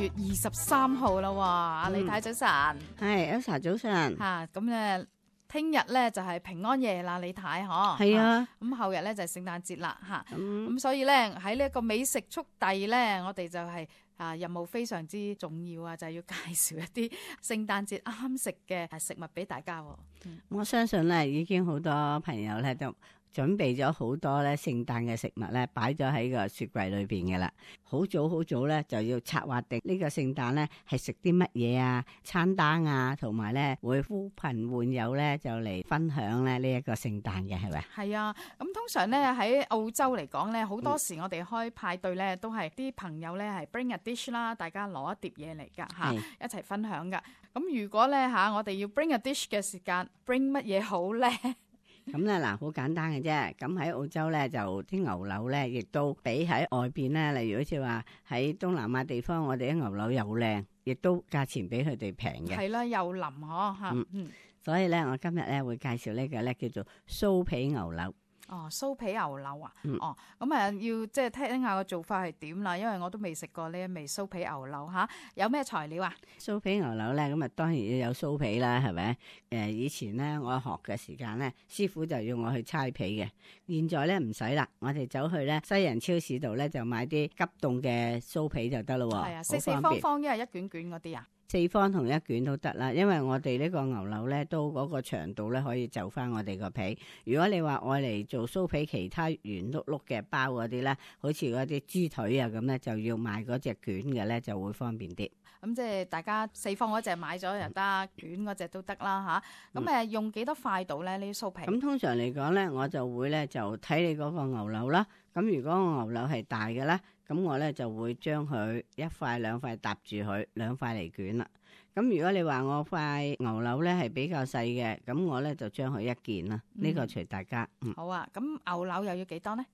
月23號啦喎，李太早晨，係 Elsa 早晨嚇咁咧，聽日咧就係平安夜啦，李太嗬，係啊，咁後日咧就係聖誕節啦嚇，咁咁所以咧喺呢一個美食速遞咧，我哋就係任務非常之重要啊，就係要介紹一啲聖誕節啱食嘅食物俾大家喎。我相信咧已經好多朋友咧都準備咗好多咧聖誕嘅食物咧，擺咗喺個雪櫃裏邊嘅啦。好早咧就要策劃定呢個聖誕咧係食啲乜嘢啊，餐單啊，同埋咧會呼朋喚友咧就嚟分享咧呢一個聖誕嘅，係咪？係啊，咁通常咧喺澳洲嚟講咧，好多時我哋開派對咧都係啲朋友咧係 bring a dish 啦，大家攞一碟嘢嚟㗎嚇，一齊分享㗎。咁如果咧我哋要 bring a dish 嘅時間，bring 乜嘢好咧？咁咧嗱，好簡單嘅啫。咁喺澳洲咧，就啲牛柳咧，亦都比喺外邊咧，例如好似話喺東南亞地方，我哋啲牛柳又靚，亦都價錢比佢哋平嘅。係啦，又腍嗬嚇。所以咧，我今日咧會介紹呢個咧叫做酥皮牛柳。哦，酥皮牛柳啊，咁要即係聽下個做法係點啦，因為我都未食過呢一味酥皮牛柳嚇。有咩材料啊？酥皮牛柳咧，咁啊當然要有酥皮啦，係咪？以前咧我學嘅時間咧，師傅就要我去搓皮嘅。現在咧唔使啦，我哋走去咧西人超市度咧就買啲急凍嘅酥皮就得咯喎。係啊，四四方方，一係一卷卷嗰啲啊。四方同一卷都得啦，因為我哋呢個牛柳咧都嗰個長度咧可以就翻我哋個皮。如果你話愛嚟做酥皮，其他圓碌碌嘅包嗰啲咧，好似嗰啲豬腿啊咁咧，就要買嗰隻卷嘅咧就會方便啲。咁即係大家四方嗰隻買咗又得，卷嗰隻都得啦吓。咁用幾多塊度咧呢啲酥皮？咁通常嚟講咧，我就會咧就睇你嗰個牛柳啦。咁如果個牛柳係大嘅咧，咁我咧就會將佢一塊兩塊搭住佢，兩塊嚟捲啦。咁如果你話我塊牛柳咧係比較細嘅，咁我咧就將佢一件啦。呢個隨大家。好啊，咁牛柳又要幾多呢？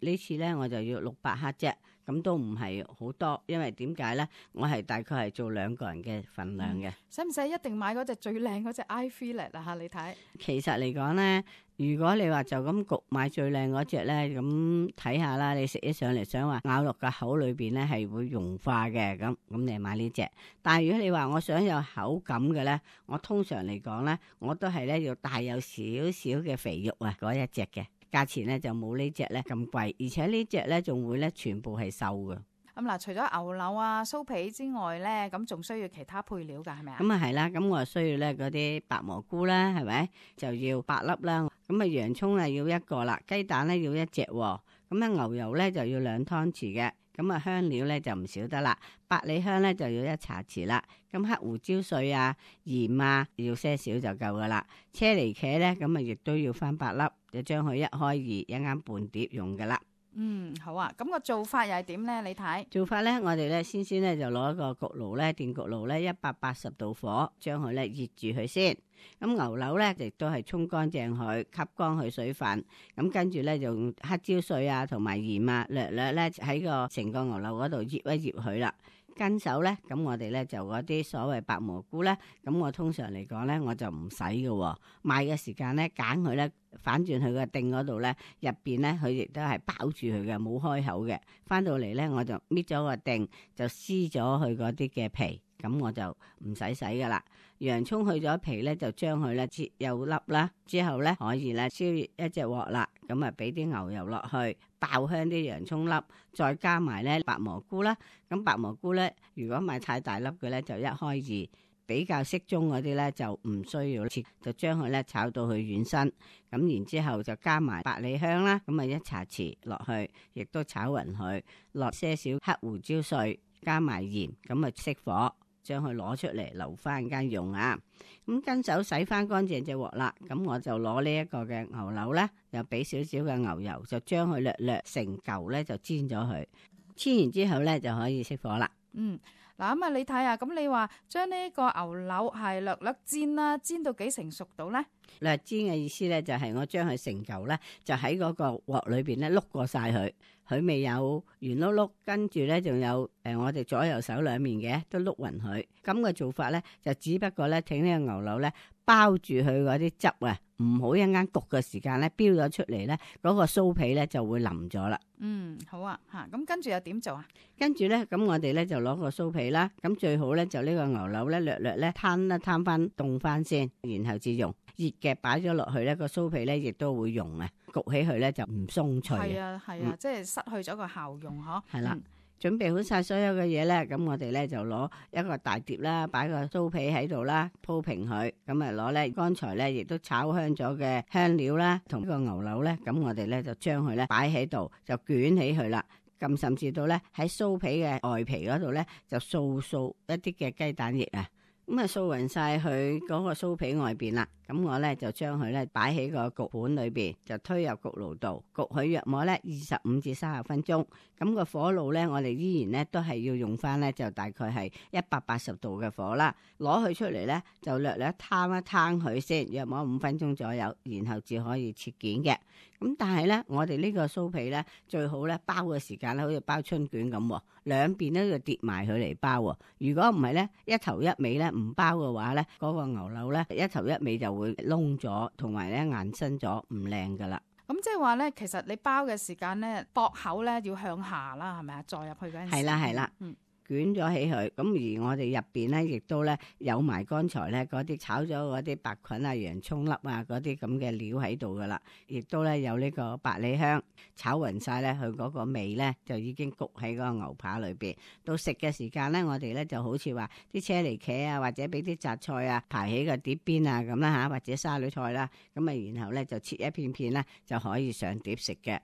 呢次咧我就要600克啫，咁都唔係好多，因為點解咧？我係大概係做2個人嘅份量嘅。使唔使一定買嗰隻最靚嗰隻 eye fillet 啊？吓，你睇。其實嚟講咧，如果你話就咁焗買最靚嗰隻咧，咁睇下啦，你食起上嚟想話咬落個口裏邊咧係會融化嘅，咁你買呢隻。但係如果你話我想有口感嘅咧，我通常嚟講咧，我都係咧要帶有少少嘅肥肉啊嗰一隻嘅。價錢咧就冇呢隻咧咁貴，而且呢隻咧仲會咧全部係瘦嘅。咁嗱，除咗牛柳啊、酥皮之外咧，咁仲需要其他配料噶，係咪啊？咁啊係啦，咁我需要咧嗰啲白蘑菇啦，係咪？就要8粒啦。咁啊洋葱啊要1個啦，雞蛋咧要1隻。咁啊牛油咧就要2湯匙嘅。咁啊香料咧就唔少得啦，百里香咧就要1茶匙啦。咁黑胡椒碎啊、鹽啊要些少就夠噶啦。車厘茄咧咁啊亦都要翻8粒，就將佢1開2，一啱半碟用噶啦。好啊，咁個做法又係點咧？你睇做法咧，我哋咧先咧就攞一個焗爐咧，電焗爐咧180度火，將佢咧熱住佢先。咁牛柳咧亦都係沖乾淨佢，吸乾佢水分。咁跟住咧就用黑椒碎啊同埋鹽啊，略略咧喺個成個牛柳嗰度醃一醃佢啦。跟手咧，咁我哋咧就嗰啲所謂白蘑菇咧，咁我通常嚟講咧我就唔使嘅。買嘅時間咧揀佢咧，反轉佢個頂嗰度咧，入邊咧佢亦都係包住佢嘅，冇開口嘅。翻到嚟咧我就搣咗個頂，就撕咗佢嗰啲嘅皮，咁我就唔使洗噶啦。洋葱去咗皮咧，就將佢咧切幼粒啦，之後咧可以咧燒熱一隻鑊啦，咁啊俾啲牛油落去，爆香啲洋葱粒，再加埋咧白蘑菇啦。咁白蘑菇咧，如果買太大粒嘅咧，就1開2，比較適中嗰啲咧就唔需要切，就將佢咧炒到佢軟身。咁然之後就加埋百里香啦，咁啊1茶匙落去，亦都炒勻佢，落些少黑胡椒碎，加埋鹽，咁啊熄火。將佢攞出嚟留翻間用啊！咁跟手洗翻乾淨隻鑊啦，咁我就攞呢一個嘅牛柳咧，又俾少少嘅牛油，就將佢略略成嚿咧就煎咗佢，煎完之後咧就可以熄火啦。嗱咁啊，你睇下，咁你話將呢個牛柳係略略煎啦，煎到幾成熟到咧？略煎嘅意思咧就係我將佢成嚿咧，就喺嗰個鑊裏邊咧碌過晒佢，佢未有圓碌碌，跟住咧仲有我哋左右手兩面嘅都碌勻佢。咁嘅做法咧就只不過咧，請呢個牛柳咧包住佢嗰啲汁啊，唔好一間焗嘅時間咧飆咗出嚟咧，嗰個酥皮咧就會腍咗啦。好啊嚇，咁跟住又點做啊？跟住咧，咁我哋咧就攞個酥皮啦，咁最好咧就呢個牛柳咧略略咧攤翻凍翻先，然後至用熱嘅擺咗落去咧，個酥皮咧亦都會溶啊，焗起佢咧就唔鬆脆。係啊，即係失去咗個效用嗬。係啦。準備好晒所有嘅嘢咧，咁我哋咧就攞一個大碟啦，擺個酥皮喺度啦，鋪平佢，咁啊攞咧剛才咧亦都炒香咗嘅香料啦，同呢個牛柳咧，咁我哋咧就將佢咧擺喺度，就捲起佢啦。咁甚至到咧喺酥皮嘅外皮嗰度咧，就掃一啲嘅雞蛋液啊，咁啊掃勻晒佢嗰個酥皮外邊啦。咁我咧就將佢咧擺喺個焗盤裏邊，就推入焗爐度焗佢約莫咧25至30分鐘。咁個火爐咧，我哋依然咧都係要用翻咧，就大概係180度嘅火啦。攞佢出嚟咧，就略略攤一攤佢先，約莫5分鐘左右，然後至可以切件嘅。咁但係咧，我哋呢個酥皮咧最好咧包嘅時間咧，好似包春卷咁，兩邊咧就疊埋佢嚟包。如果唔係咧，一頭一尾咧唔包嘅話咧，嗰個牛柳咧一頭一尾就會燶咗，同埋咧硬身咗，唔靚噶啦。咁即係話咧，其實你包嘅時間咧，駁口咧要向下啦，係咪啊？再入去嗰陣時。係啦。捲咗起佢，咁而我哋入邊咧，亦都咧有埋剛才咧嗰啲炒咗嗰啲白菌啊、洋葱粒啊嗰啲咁嘅料喺度噶啦，亦都咧有呢個百里香炒勻晒咧，佢嗰個味咧就已經焗喺嗰個牛扒裏邊。到食嘅時間咧，我哋咧就好似話啲車厘茄啊，或者俾啲雜菜啊排喺個碟邊啊咁啦嚇，或者沙律菜啦，咁啊然後咧就切一片片咧就可以上碟食嘅。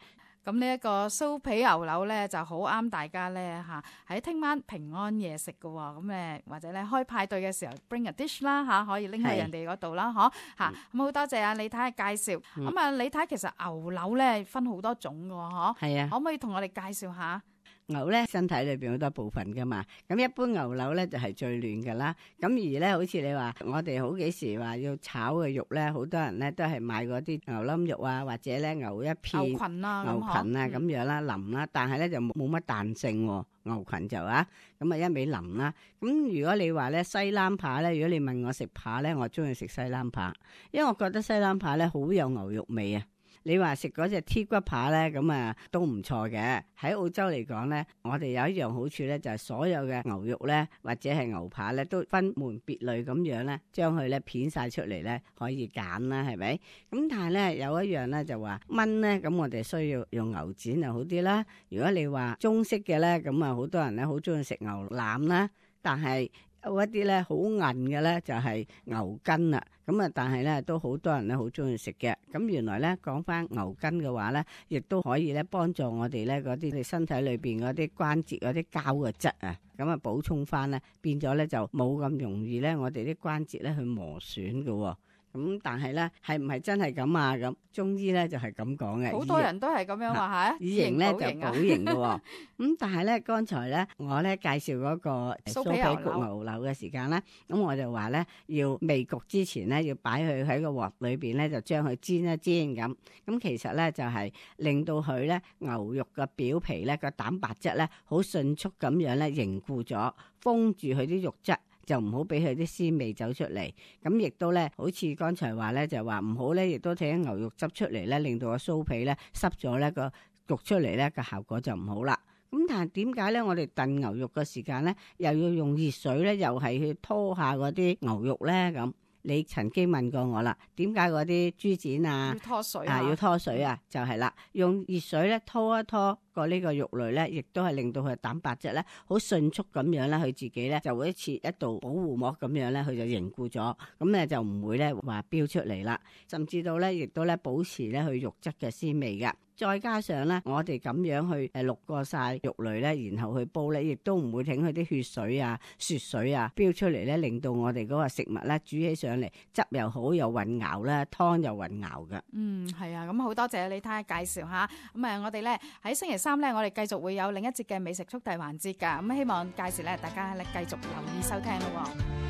咁呢一個酥皮牛柳咧就好啱大家咧嚇，喺聽晚平安夜食嘅喎。咁或者咧開派對嘅時候 bring a dish 啦嚇，可以拎去人哋嗰度啦，嗬嚇。咁好多謝啊李太嘅介紹。咁啊李太其實牛柳咧分好多種嘅喎，嗬。係啊。可唔可以同我哋介紹下？牛咧身體裏邊好多部分噶嘛，咁一般牛柳咧就係最嫩噶啦。咁而咧好似你話我哋好幾時話要炒嘅肉咧，好多人咧都係買嗰啲牛冧肉啊，或者咧牛一片牛裙啊咁樣啦，腍啦，但係咧就冇乜彈性喎。牛裙就啊，咁啊一味腍啦。咁如果你話咧西冷扒咧，如果你問我食扒咧，我中意食西冷扒，因為我覺得西冷扒咧好有牛肉味啊。你話食嗰隻 T 骨扒咧，咁啊都唔錯嘅。喺澳洲嚟講咧，我哋有一樣好處咧，就係所有嘅牛肉咧，或者係牛扒咧，都分門別類咁樣咧，將佢咧片晒出嚟咧，可以揀啦，係咪？咁但係咧有一樣咧就話炆咧，咁我哋需要用牛展就好啲啦。如果你話中式嘅咧，咁啊好多人咧好中意食牛腩啦，但係有一啲咧好韌嘅咧就係牛筋啦，咁啊但係咧都好多人咧好中意食嘅。咁原來咧講翻牛筋嘅話咧，亦都可以咧幫助我哋咧嗰啲你身體裏邊嗰啲關節嗰啲膠嘅質啊，咁啊補充翻咧，變咗咧就冇咁容易咧我哋啲關節咧去磨損嘅。咁但係咧係唔係真係咁啊？咁中醫咧就係咁講嘅，好多人都係咁樣話嚇，以形咧就補形嘅。咁但係咧剛才咧我咧介紹嗰個酥皮焗牛柳嘅時間咧，咁我就話咧要未焗之前咧要擺佢喺個鑊裏邊咧，就將佢煎一煎咁。咁其實咧就係令到佢咧牛肉嘅表皮咧個蛋白質咧好迅速咁樣咧凝固咗，封住佢啲肉質。就唔好俾佢啲鮮味走出嚟，咁亦都咧，好似剛才話咧，就話唔好咧，亦都睇啲牛肉汁出嚟咧，令到個酥皮咧濕咗咧，個焗出嚟咧個效果就唔好啦。咁但係點解咧？我哋燉牛肉嘅時間咧，又要用熱水咧，又係去拖下嗰啲牛肉咧咁。你曾經問過我啦，點解嗰啲豬展啊要拖水要拖水啊？就係啦，用熱水咧拖一拖個呢個肉類咧，亦都係令到佢蛋白質咧好迅速咁樣咧，佢自己咧就會似一道保護膜咁樣咧，佢就凝固咗，咁咧就唔會咧話飆出嚟啦，甚至到咧亦都咧保持咧佢肉質嘅鮮味㗎。再加上咧，我哋咁樣去渌過晒肉類咧，然後去煲咧，亦都唔會整佢啲血水啊、雪水啊飆出嚟咧，令到我哋嗰個食物咧煮起上嚟汁又好又混淆啦，湯又混淆噶。係啊，咁好多謝李太介紹下。咁我哋咧喺星期三咧，我哋繼續會有另一節嘅美食速遞環節㗎。咁希望屆時咧，大家咧繼續留意收聽咯。